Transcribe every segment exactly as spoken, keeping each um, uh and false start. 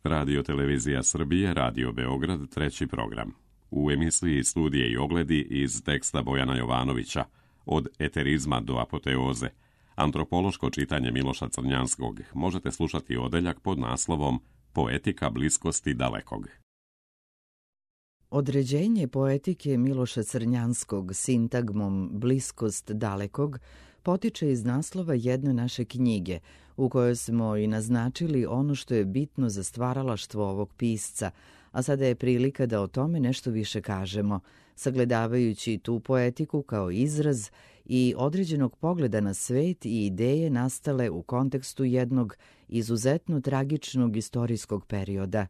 Radio Televizija Srbije, Radio Beograd, treći program. U emisiji Studije i ogledi iz teksta Bojana Jovanovića, Od eterizma do apoteoze, antropološko čitanje Miloša Crnjanskog, možete slušati odeljak pod naslovom Poetika bliskosti dalekog. Određenje poetike Miloša Crnjanskog sintagmom bliskost dalekog potiče iz naslova jedne naše knjige, u kojoj smo i naznačili ono što je bitno za stvaralaštvo ovog pisca, a sada je prilika da o tome nešto više kažemo, sagledavajući tu poetiku kao izraz i određenog pogleda na svet i ideje nastale u kontekstu jednog izuzetno tragičnog istorijskog perioda.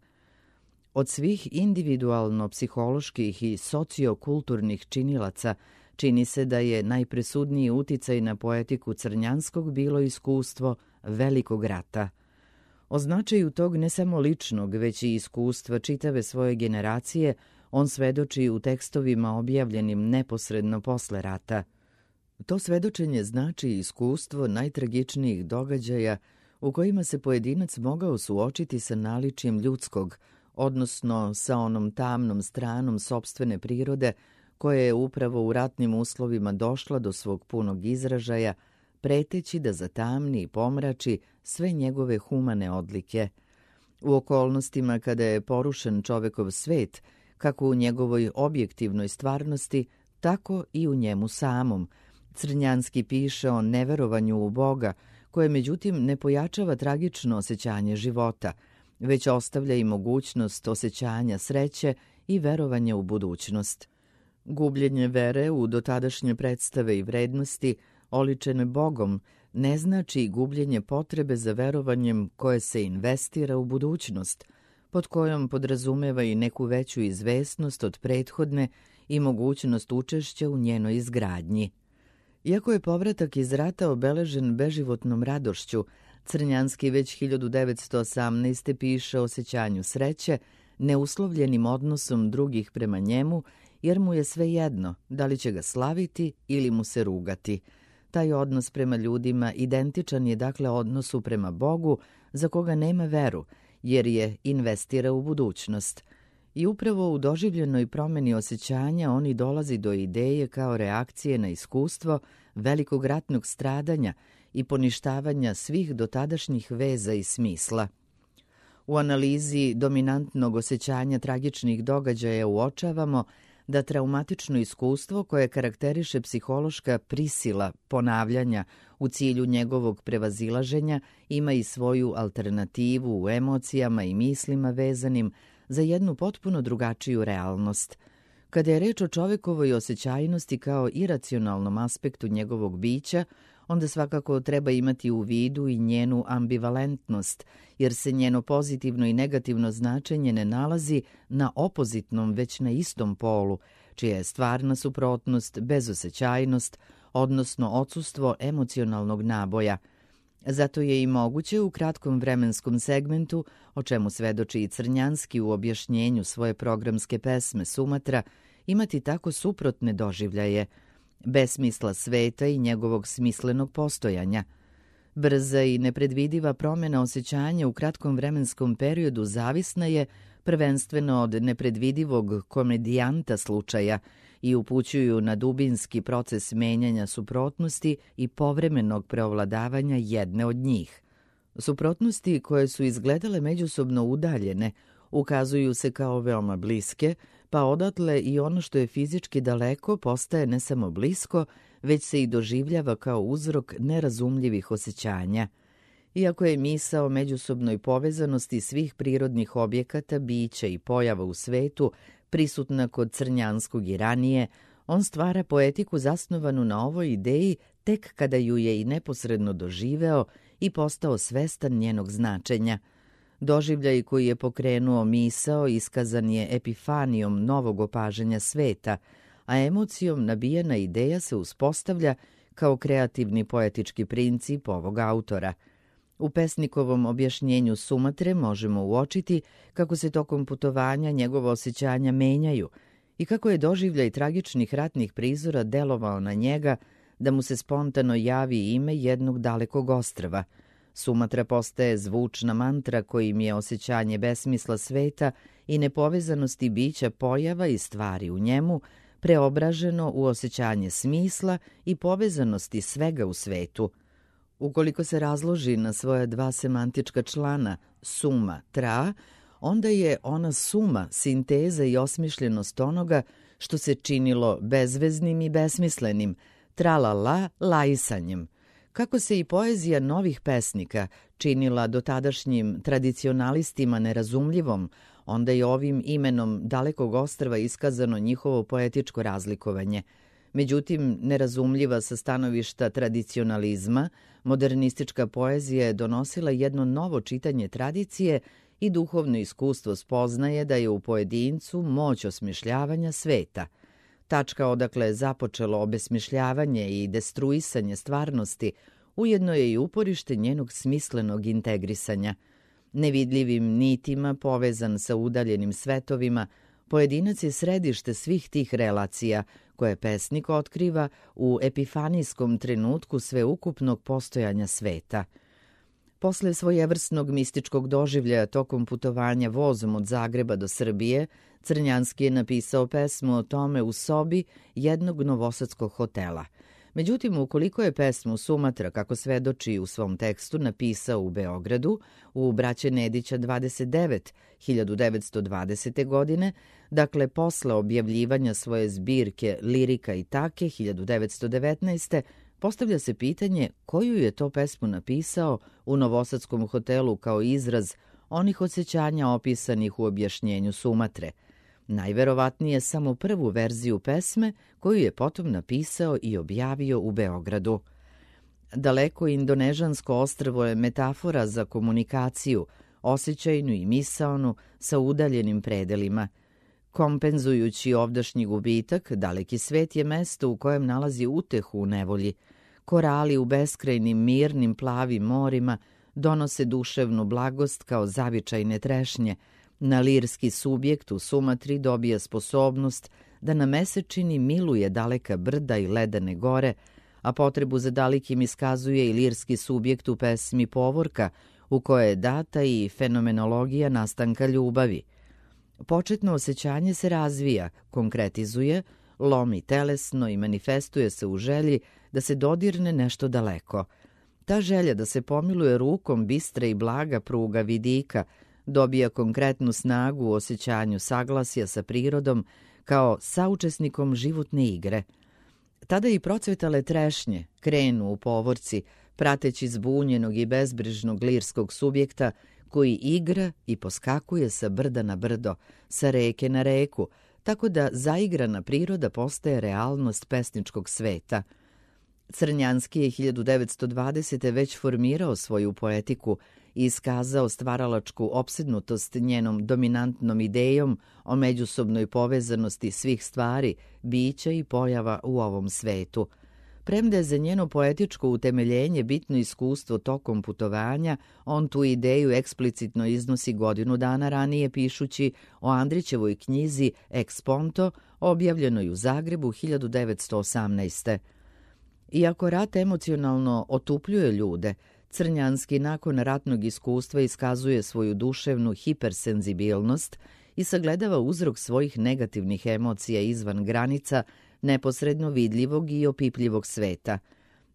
Od svih individualno-psiholoških i sociokulturnih činilaca čini se da je najpresudniji uticaj na poetiku Crnjanskog bilo iskustvo Velikog rata. O značaju tog ne samo ličnog, već i iskustva čitave svoje generacije on svedoči u tekstovima objavljenim neposredno posle rata. To svedočenje znači iskustvo najtragičnijih događaja u kojima se pojedinac mogao suočiti sa naličjem ljudskog, odnosno sa onom tamnom stranom sopstvene prirode koja je upravo u ratnim uslovima došla do svog punog izražaja, preteći da zatamni i pomrači sve njegove humane odlike. U okolnostima kada je porušen čovekov svet, kako u njegovoj objektivnoj stvarnosti, tako i u njemu samom, Crnjanski piše o neverovanju u Boga, koje međutim ne pojačava tragično osjećanje života, već ostavlja i mogućnost osjećanja sreće i verovanja u budućnost. Gubljenje vere u dotadašnje predstave i vrednosti, oličene Bogom, ne znači gubljenje potrebe za verovanjem koje se investira u budućnost, pod kojom podrazumeva i neku veću izvesnost od prethodne i mogućnost učešća u njenoj izgradnji. Iako je povratak iz rata obeležen beživotnom radošću, Crnjanski već hiljadu devetsto osamnaeste. piše o osjećanju sreće, neuslovljenim odnosom drugih prema njemu, jer mu je svejedno da li će ga slaviti ili mu se rugati. Taj odnos prema ljudima identičan je dakle odnosu prema Bogu, za koga nema veru, jer je investira u budućnost. I upravo u doživljenoj promeni osjećanja on i dolazi do ideje kao reakcije na iskustvo velikog ratnog stradanja i poništavanja svih dotadašnjih veza i smisla. U analizi dominantnog osjećanja tragičnih događaja uočavamo da traumatično iskustvo koje karakteriše psihološka prisila ponavljanja u cilju njegovog prevazilaženja ima i svoju alternativu u emocijama i mislima vezanim za jednu potpuno drugačiju realnost. Kada je reč o čovekovoj osjećajnosti kao iracionalnom aspektu njegovog bića, onda svakako treba imati u vidu i njenu ambivalentnost, jer se njeno pozitivno i negativno značenje ne nalazi na opozitnom, već na istom polu, čija je stvarna suprotnost bezosećajnost, odnosno odsustvo emocionalnog naboja. Zato je i moguće u kratkom vremenskom segmentu, o čemu svedoči i Crnjanski u objašnjenju svoje programske pesme Sumatra, imati tako suprotne doživljaje, besmisla sveta i njegovog smislenog postojanja. Brza i nepredvidiva promjena osjećanja u kratkom vremenskom periodu zavisna je prvenstveno od nepredvidivog komedijanta slučaja i upućuju na dubinski proces menjanja suprotnosti i povremenog preovladavanja jedne od njih. Suprotnosti koje su izgledale međusobno udaljene ukazuju se kao veoma bliske, pa odatle i ono što je fizički daleko postaje ne samo blisko, već se i doživljava kao uzrok nerazumljivih osjećanja. Iako je misao o međusobnoj povezanosti svih prirodnih objekata, bića i pojava u svetu prisutna kod Crnjanskog i ranije, on stvara poetiku zasnovanu na ovoj ideji tek kada ju je i neposredno doživeo i postao svestan njenog značenja. Doživljaj koji je pokrenuo misao iskazan je epifanijom novog opažanja sveta, a emocijom nabijena ideja se uspostavlja kao kreativni poetički princip ovog autora. U pesnikovom objašnjenju Sumatre možemo uočiti kako se tokom putovanja njegova osjećanja menjaju i kako je doživljaj tragičnih ratnih prizora delovao na njega da mu se spontano javi ime jednog dalekog ostrva. Sumatra postaje zvučna mantra kojim je osjećanje besmisla sveta i nepovezanosti bića pojava i stvari u njemu preobraženo u osjećanje smisla i povezanosti svega u svetu. Ukoliko se razloži na svoja dva semantička člana suma, tra, onda je ona suma, sinteza i osmišljenost onoga što se činilo bezveznim i besmislenim, tralala laisanjem. Kako se i poezija novih pesnika činila dotadašnjim tradicionalistima nerazumljivom, onda je ovim imenom dalekog ostrva iskazano njihovo poetičko razlikovanje. Međutim, nerazumljiva sa stanovišta tradicionalizma, modernistička poezija je donosila jedno novo čitanje tradicije i duhovno iskustvo spoznaje da je u pojedincu moć osmišljavanja sveta. Tačka odakle je započelo obesmišljavanje i destruisanje stvarnosti, ujedno je i uporište njenog smislenog integrisanja. Nevidljivim nitima povezan sa udaljenim svetovima, pojedinac je središte svih tih relacija koje pesnik otkriva u epifanijskom trenutku sveukupnog postojanja sveta. Posle svojevrsnog mističkog doživljaja tokom putovanja vozom od Zagreba do Srbije, Crnjanski je napisao pesmu o tome u sobi jednog novosadskog hotela. Međutim, ukoliko je pesmu Sumatra, kako svedoči u svom tekstu, napisao u Beogradu, u Braće Nedića dvadeset devet hiljadu devetsto dvadesete. godine, dakle posle objavljivanja svoje zbirke Lirika i take hiljadu devetsto devetnaeste. postavlja se pitanje koju je to pesmu napisao u novosadskom hotelu kao izraz onih osjećanja opisanih u objašnjenju Sumatre. Najverovatnije samo prvu verziju pesme koju je potom napisao i objavio u Beogradu. Daleko indonežansko ostrvo je metafora za komunikaciju, osjećajnu i misaonu sa udaljenim predelima. Kompenzujući ovdašnji gubitak, daleki svet je mesto u kojem nalazi utehu u nevolji. Korali u beskrajnim mirnim plavim morima donose duševnu blagost kao zavičajne trešnje. Na lirski subjekt u Sumatri dobija sposobnost da na mesečini miluje daleka brda i ledane gore, a potrebu za dalekim iskazuje i lirski subjekt u pesmi Povorka, u kojoj je data i fenomenologija nastanka ljubavi. Početno osjećanje se razvija, konkretizuje, lomi telesno i manifestuje se u želji da se dodirne nešto daleko. Ta želja da se pomiluje rukom bistra i blaga pruga vidika dobija konkretnu snagu u osjećanju saglasja sa prirodom kao saučesnikom životne igre. Tada i procvetale trešnje krenu u povorci, prateći zbunjenog i bezbrižnog lirskog subjekta koji igra i poskakuje sa brda na brdo, sa reke na reku, tako da zaigrana priroda postaje realnost pesničkog sveta. Crnjanski je hiljadu devetsto dvadesete. već formirao svoju poetiku i iskazao stvaralačku opsednutost njenom dominantnom idejom o međusobnoj povezanosti svih stvari, bića i pojava u ovom svetu. Premda je za njeno poetičko utemeljenje bitno iskustvo tokom putovanja, on tu ideju eksplicitno iznosi godinu dana ranije pišući o Andrićevoj knjizi Ex Ponto, objavljenoj u Zagrebu hiljadu devetsto osamnaeste. Iako rat emocionalno otupljuje ljude, Crnjanski nakon ratnog iskustva iskazuje svoju duševnu hipersenzibilnost i sagledava uzrok svojih negativnih emocija izvan granica neposredno vidljivog i opipljivog sveta.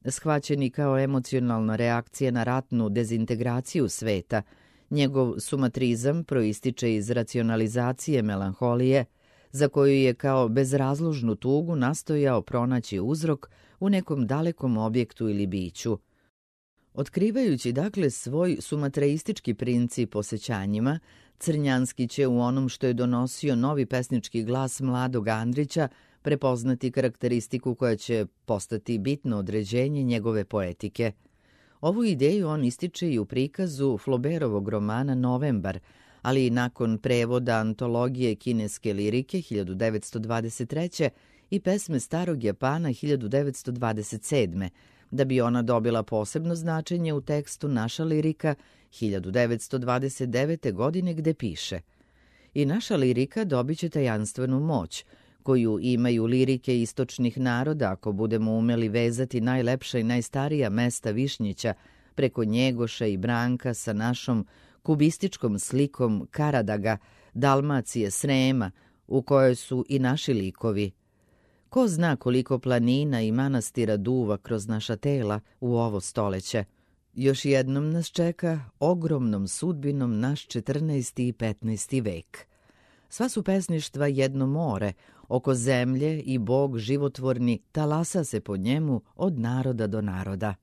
Shvaćeni kao emocionalna reakcija na ratnu dezintegraciju sveta, njegov sumatrizam proističe iz racionalizacije melanholije, za koju je kao bezrazložnu tugu nastojao pronaći uzrok u nekom dalekom objektu ili biću. Otkrivajući dakle svoj sumatraistički princip osjećanjima, Crnjanski će u onom što je donosio novi pesnički glas mladog Andrića prepoznati karakteristiku koja će postati bitno određenje njegove poetike. Ovu ideju on ističe i u prikazu Flaubertovog romana Novembar, ali i nakon prevoda antologije kineske lirike hiljadu devetsto dvadeset treće. i pesme Starog Japana hiljadu devetsto dvadeset sedme. da bi ona dobila posebno značenje u tekstu Naša lirika hiljadu devetsto dvadeset devete. godine gde piše: I naša lirika dobit će tajanstvenu moć, koju imaju lirike istočnih naroda ako budemo umeli vezati najlepša i najstarija mesta Višnjića, preko Njegoša i Branka sa našom kubističkom slikom Karadaga, Dalmacije, Srema, u kojoj su i naši likovi. Ko zna koliko planina i manastira duva kroz naša tela u ovo stoleće. Još jednom nas čeka ogromnom sudbinom naš četrnaesti i petnaesti vek. Sva su pesništva jedno more, oko zemlje i Bog životvorni talasa se po njemu od naroda do naroda.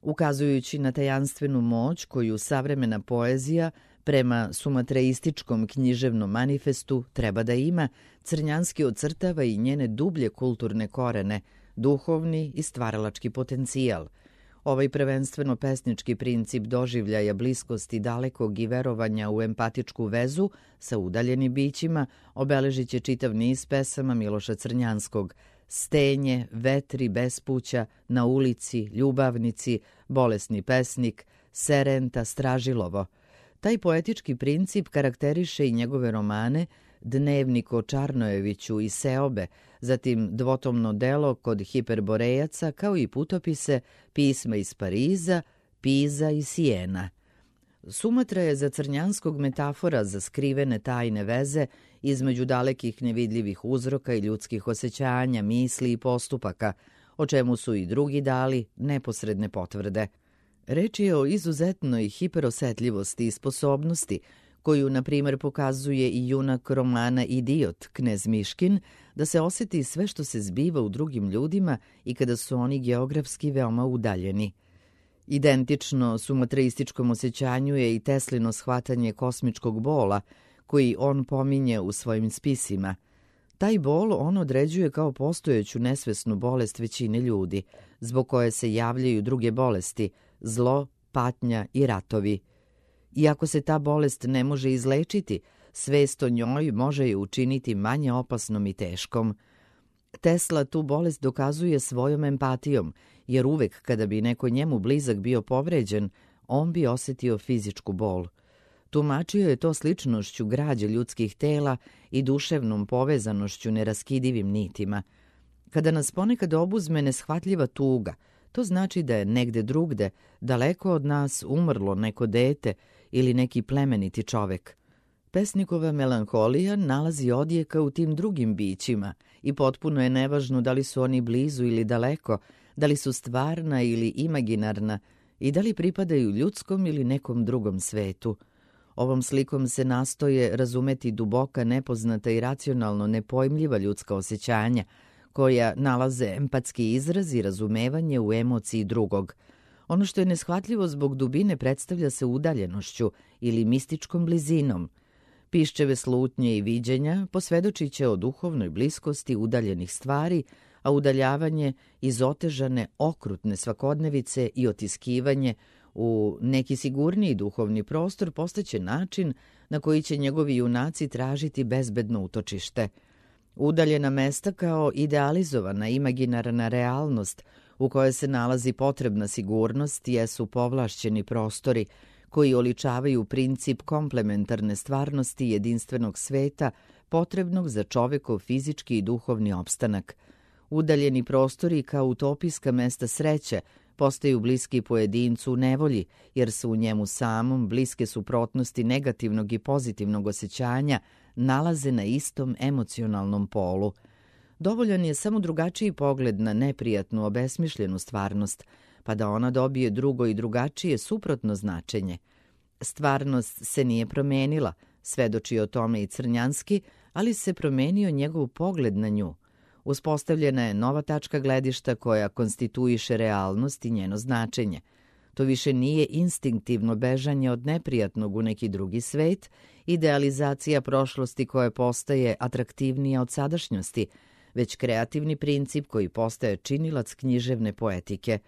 Ukazujući na tajanstvenu moć koju savremena poezija prema sumatreističkom književnom manifestu treba da ima, Crnjanski ocrtava i njene dublje kulturne korene, duhovni i stvaralački potencijal. Ovaj prvenstveno pesnički princip doživljaja bliskosti dalekog i verovanja u empatičku vezu sa udaljenim bićima obeležit će čitav niz pesama Miloša Crnjanskog: Stenje, Vetri, Bespuća, Na ulici, Ljubavnici, Bolesni pesnik, Serenta, Stražilovo. Taj poetički princip karakteriše i njegove romane Dnevnik o Čarnojeviću i Seobe, zatim dvotomno delo Kod hiperborejaca, kao i putopise Pisma iz Pariza, Piza i Sijena. Sumatra je za Crnjanskog metafora za skrivene tajne veze između dalekih nevidljivih uzroka i ljudskih osjećanja, misli i postupaka, o čemu su i drugi dali neposredne potvrde. Reč je o izuzetnoj hiperosetljivosti i sposobnosti koju, na primer, pokazuje i junak romana Idiot, knez Miškin, da se osjeti sve što se zbiva u drugim ljudima i kada su oni geografski veoma udaljeni. Identično sumatreističkom osjećanju je i Teslino shvatanje kosmičkog bola, koji on pominje u svojim spisima. Taj bol on određuje kao postojeću nesvesnu bolest većine ljudi, zbog koje se javljaju druge bolesti, zlo, patnja i ratovi. Iako se ta bolest ne može izlečiti, svest o njoj može je učiniti manje opasnom i teškom. Tesla tu bolest dokazuje svojom empatijom, jer uvek kada bi neko njemu blizak bio povređen, on bi osjetio fizičku bol. Tumačio je to sličnošću građe ljudskih tela i duševnom povezanošću neraskidivim nitima. Kada nas ponekad obuzme neshvatljiva tuga, to znači da je negde drugde, daleko od nas, umrlo neko dete ili neki plemeniti čovek. Pesnikova melanholija nalazi odjeka u tim drugim bićima i potpuno je nevažno da li su oni blizu ili daleko, da li su stvarna ili imaginarna i da li pripadaju ljudskom ili nekom drugom svetu. Ovom slikom se nastoje razumeti duboka, nepoznata i racionalno nepojmljiva ljudska osjećanja, koja nalaze empatski izraz i razumevanje u emociji drugog. Ono što je neshvatljivo zbog dubine predstavlja se udaljenošću ili mističkom blizinom. Piščeve slutnje i viđenja posvedočit će o duhovnoj bliskosti udaljenih stvari, a udaljavanje iz otežane, okrutne svakodnevice i otiskivanje u neki sigurniji duhovni prostor postaće način na koji će njegovi junaci tražiti bezbedno utočište. Udaljena mesta kao idealizovana imaginarna realnost u kojoj se nalazi potrebna sigurnost jesu povlašćeni prostori koji oličavaju princip komplementarne stvarnosti jedinstvenog sveta potrebnog za čovekov fizički i duhovni opstanak. Udaljeni prostori kao utopijska mesta sreće postaju bliski pojedincu u nevolji, jer su u njemu samom bliske suprotnosti negativnog i pozitivnog osjećanja nalaze na istom emocionalnom polu. Dovoljan je samo drugačiji pogled na neprijatnu, obesmišljenu stvarnost, pa da ona dobije drugo i drugačije suprotno značenje. Stvarnost se nije promenila, svedoči o tome i Crnjanski, ali se promenio njegov pogled na nju. Uspostavljena je nova tačka gledišta koja konstituiše realnost i njeno značenje. To više nije instinktivno bežanje od neprijatnog u neki drugi svet, idealizacija prošlosti koja postaje atraktivnija od sadašnjosti, već kreativni princip koji postaje činilac književne poetike.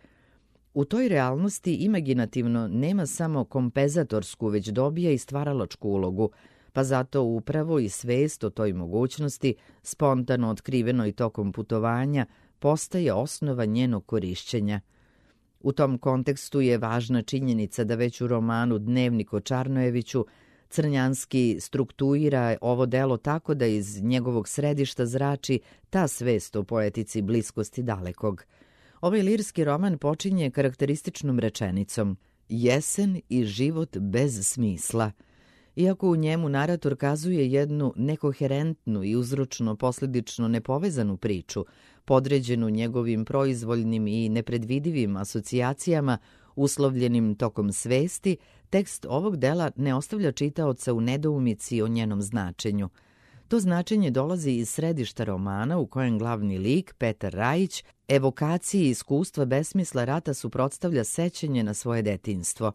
U toj realnosti imaginativno nema samo kompenzatorsku, već dobija i stvaralačku ulogu, pa zato upravo i svest o toj mogućnosti, spontano otkrivenoj tokom putovanja, postaje osnova njenog korišćenja. U tom kontekstu je važna činjenica da već u romanu Dnevnik o Čarnojeviću Crnjanski struktuira ovo delo tako da iz njegovog središta zrači ta svest o poetici bliskosti dalekog. Ovaj lirski roman počinje karakterističnom rečenicom jesen i život bez smisla. Iako u njemu narator kazuje jednu nekoherentnu i uzročno-posledično nepovezanu priču, podređenu njegovim proizvoljnim i nepredvidivim asocijacijama, uslovljenim tokom svesti, tekst ovog dela ne ostavlja čitaoca u nedoumici o njenom značenju. To značenje dolazi iz središta romana u kojem glavni lik, Petar Rajić, evokaciji iskustva besmisla rata suprotstavlja sećanje na svoje detinjstvo.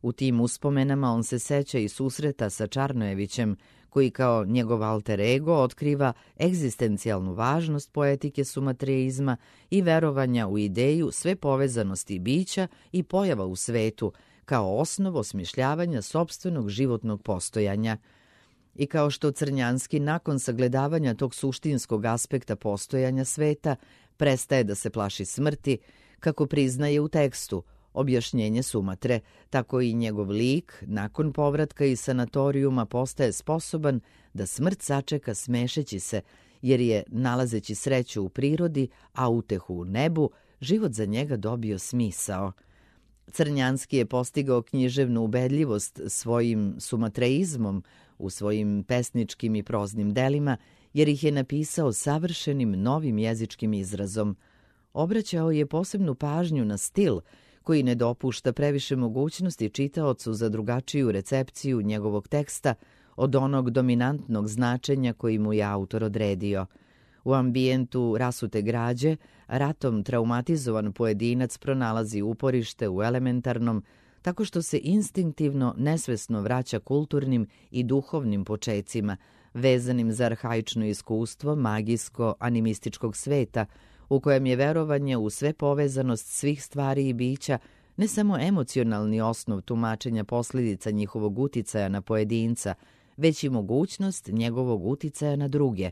U tim uspomenama on se seća i susreta sa Čarnojevićem, koji kao njegov alter ego otkriva egzistencijalnu važnost poetike sumatreizma i verovanja u ideju sve povezanosti bića i pojava u svetu, kao osnov osmišljavanja sopstvenog životnog postojanja. I kao što Crnjanski nakon sagledavanja tog suštinskog aspekta postojanja sveta prestaje da se plaši smrti, kako priznaje u tekstu objašnjenje Sumatre, tako i njegov lik nakon povratka iz sanatorijuma postaje sposoban da smrt sačeka smešeći se, jer je, nalazeći sreću u prirodi, a utehu u nebu, život za njega dobio smisao. Crnjanski je postigao književnu ubedljivost svojim sumatreizmom u svojim pesničkim i proznim delima, jer ih je napisao savršenim novim jezičkim izrazom. Obraćao je posebnu pažnju na stil, koji ne dopušta previše mogućnosti čitaocu za drugačiju recepciju njegovog teksta od onog dominantnog značenja koji mu je autor odredio. U ambijentu rasute građe, ratom traumatizovan pojedinac pronalazi uporište u elementarnom, tako što se instinktivno nesvesno vraća kulturnim i duhovnim počecima, vezanim za arhaično iskustvo magijsko-animističkog sveta, u kojem je verovanje u sve povezanost svih stvari i bića ne samo emocionalni osnov tumačenja posljedica njihovog uticaja na pojedinca, već i mogućnost njegovog uticaja na druge.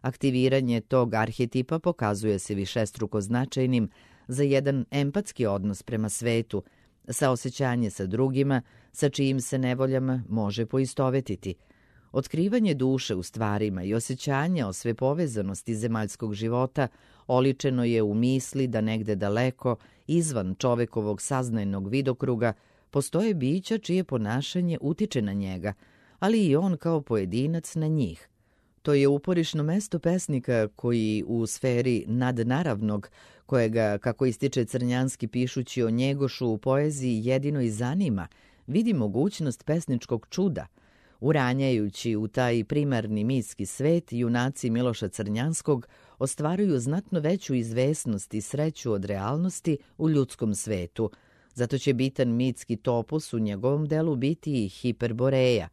Aktiviranje tog arhetipa pokazuje se višestruko značajnim za jedan empatski odnos prema svetu, saosećanje sa drugima, sa čijim se nevoljama može poistovetiti. Otkrivanje duše u stvarima i osjećanja o svepovezanosti zemaljskog života oličeno je u misli da negde daleko, izvan čovekovog saznajnog vidokruga, postoje bića čije ponašanje utiče na njega, ali i on kao pojedinac na njih. To je uporišno mesto pesnika koji u sferi nadnaravnog, kojega, kako ističe Crnjanski pišući o Njegošu u poeziji, jedino i zanima, vidi mogućnost pesničkog čuda. Uranjajući u taj primarni mitski svet, junaci Miloša Crnjanskog ostvaruju znatno veću izvesnost i sreću od realnosti u ljudskom svetu. Zato će bitan mitski topos u njegovom delu biti i Hiperboreja,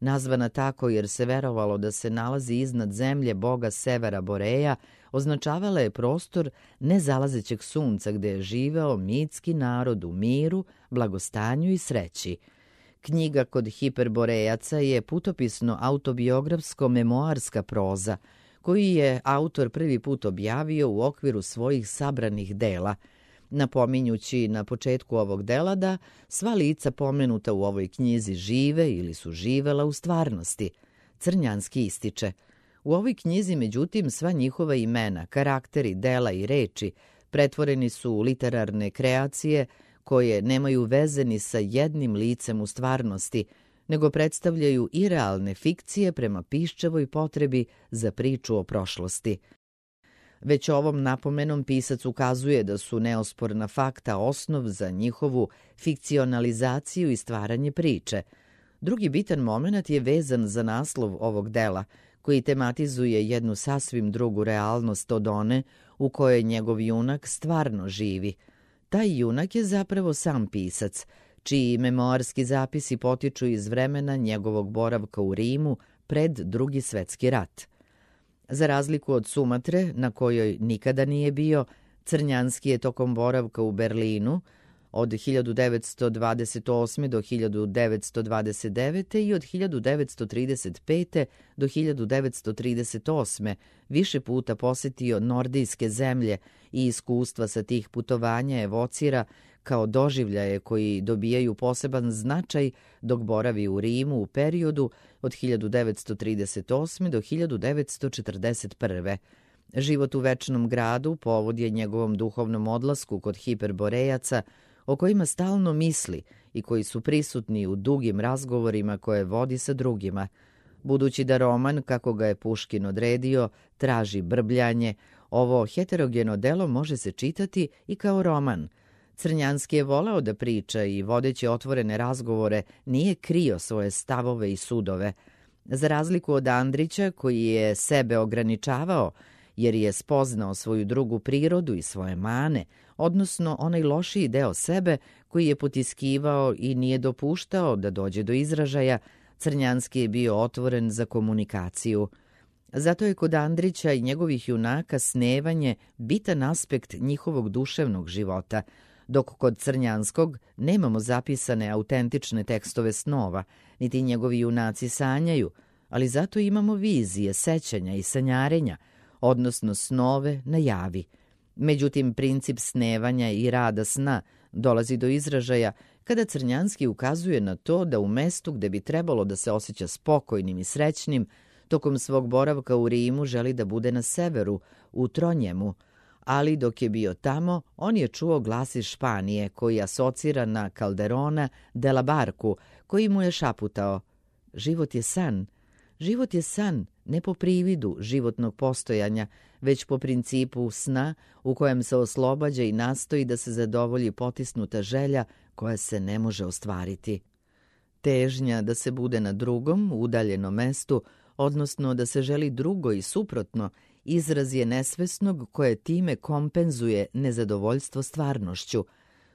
nazvana tako jer se verovalo da se nalazi iznad zemlje boga Severa Boreja, označavala je prostor nezalazećeg sunca gde je živeo mitski narod u miru, blagostanju i sreći. Knjiga kod Hiperborejaca je putopisno-autobiografsko-memoarska proza, koju je autor prvi put objavio u okviru svojih sabranih dela, napominjući na početku ovog dela da sva lica pomenuta u ovoj knjizi žive ili su živela u stvarnosti. Crnjanski ističe: u ovoj knjizi, međutim, sva njihova imena, karakteri, dela i reči pretvoreni su u literarne kreacije koje nemaju veze ni sa jednim licem u stvarnosti, nego predstavljaju i realne fikcije prema piščevoj potrebi za priču o prošlosti. Već ovom napomenom pisac ukazuje da su neosporna fakta osnov za njihovu fikcionalizaciju i stvaranje priče. Drugi bitan moment je vezan za naslov ovog dela, koji tematizuje jednu sasvim drugu realnost od one u kojoj njegov junak stvarno živi. Taj junak je zapravo sam pisac, čiji memoarski zapisi potiču iz vremena njegovog boravka u Rimu pred Drugi svetski rat. Za razliku od Sumatre, na kojoj nikada nije bio, Crnjanski je tokom boravka u Berlinu od hiljadu devetsto dvadeset osme. do hiljadu devetsto dvadeset devete. i od hiljadu devetsto trideset pete. do hiljadu devetsto trideset osme. više puta posetio nordijske zemlje i iskustva sa tih putovanja evocira kao doživljaje koji dobijaju poseban značaj dok boravi u Rimu u periodu od hiljadu devetsto trideset osme. do hiljadu devetsto četrdeset prve. Život u večnom gradu povod je njegovom duhovnom odlasku kod hiperborejaca, o kojima stalno misli i koji su prisutni u dugim razgovorima koje vodi sa drugima. Budući da roman, kako ga je Puškin odredio, traži brbljanje, ovo heterogeno delo može se čitati i kao roman. Crnjanski je voleo da priča i vodeći otvorene razgovore nije krio svoje stavove i sudove. Za razliku od Andrića, koji je sebe ograničavao, jer je spoznao svoju drugu prirodu i svoje mane, odnosno onaj lošiji deo sebe koji je potiskivao i nije dopuštao da dođe do izražaja, Crnjanski je bio otvoren za komunikaciju. Zato je kod Andrića i njegovih junaka snevanje bitan aspekt njihovog duševnog života, dok kod Crnjanskog nemamo zapisane autentične tekstove snova, niti njegovi junaci sanjaju, ali zato imamo vizije, sećanja i sanjarenja, odnosno snove na javi. Međutim, princip snevanja i rada sna dolazi do izražaja kada Crnjanski ukazuje na to da u mestu gde bi trebalo da se osjeća spokojnim i srećnim, tokom svog boravka u Rimu želi da bude na severu, u Tronjemu, ali dok je bio tamo, on je čuo glas iz Španije koji asocira na Calderona de la Barku, koji mu je šaputao: život je san. Život je san, ne po prividu životnog postojanja, već po principu sna u kojem se oslobađa i nastoji da se zadovolji potisnuta želja koja se ne može ostvariti. Težnja da se bude na drugom, udaljenom mestu, odnosno da se želi drugo i suprotno, izraz je nesvesnog koje time kompenzuje nezadovoljstvo stvarnošću.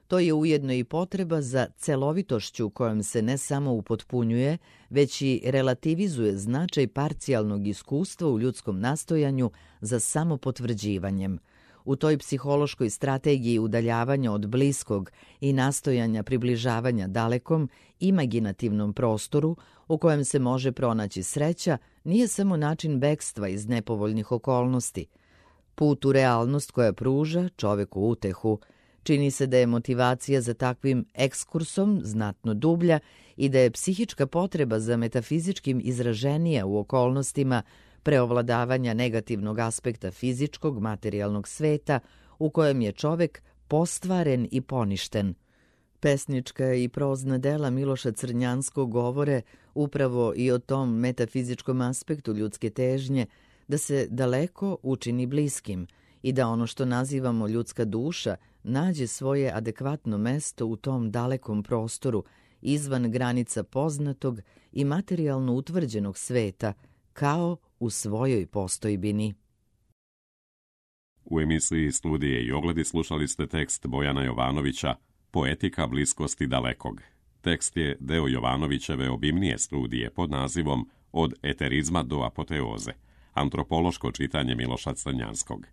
To je ujedno i potreba za celovitošću kojom se ne samo upotpunjuje, već i relativizuje značaj parcijalnog iskustva u ljudskom nastojanju za samopotvrđivanjem. U toj psihološkoj strategiji udaljavanja od bliskog i nastojanja približavanja dalekom, imaginativnom prostoru u kojem se može pronaći sreća, nije samo način bekstva iz nepovoljnih okolnosti. Put u realnost koja pruža čoveku utehu. Čini se da je motivacija za takvim ekskursom znatno dublja i da je psihička potreba za metafizičkim izraženija u okolnostima preovladavanja negativnog aspekta fizičkog materijalnog sveta u kojem je čovek postvaren i poništen. Pesnička i prozna dela Miloša Crnjanskog govore upravo i o tom metafizičkom aspektu ljudske težnje da se daleko učini bliskim i da ono što nazivamo ljudska duša nađe svoje adekvatno mesto u tom dalekom prostoru, izvan granica poznatog i materijalno utvrđenog sveta, kao u svojoj postojbini. U emisiji Studije i ogledi slušali ste tekst Bojana Jovanovića Poetika bliskosti dalekog. Tekst je deo Jovanovićeve obimnije studije pod nazivom Od eterizma do apoteoze, antropološko čitanje Miloša Crnjanskog.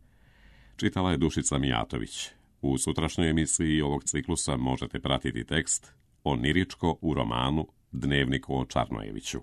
Čitala je Dušica Mijatović. U sutrašnjoj emisiji ovog ciklusa možete pratiti tekst Oniričko u romanu Dnevnik o Čarnojeviću.